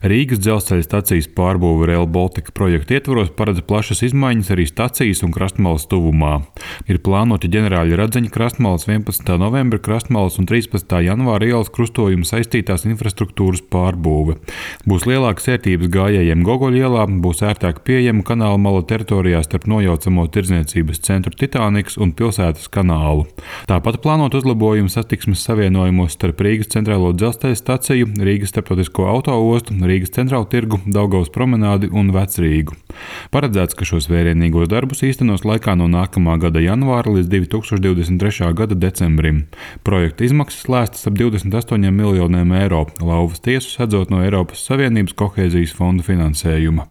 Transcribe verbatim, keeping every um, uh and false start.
Rīgas dzelzceļa stacijas pārbūve Rail Baltica projekta ietvaros paredz plašas izmaiņas arī stacijas un Krastmalas tuvumā. Ir plānoti ģenerāļa Radzeņa Krastmalas, vienpadsmitā novembra Krastmalas un trīspadsmitā janvāra ielas krustojuma saistītās infrastruktūras pārbūve. Būs lielākas ērtības gājējiem Gogoļa ielā, būs ērtāk pieejama kanāla mala teritorijā starp nojaucamo tirdzniecības centru Titaniks un pilsētas kanālu. Tāpat plānot uzlabojumu satiksmes savienojumos starp Rīgas centrālo dzelzceļa staciju, Rīgas starptautisko autoostu, Rīgas centrālu tirgu, Daugavas promenādi un Vecrīgu. Paredzēts, ka šos vērienīgos darbus īstenos laikā no nākamā gada janvāra līdz divi tūkstoši divdesmit trešā gada decembrim. Projekta izmaksas lēstas ap divdesmit astoņiem miljoniem eiro, lauvas tiesu sedzot no Eiropas Savienības kohēzijas fonda finansējuma.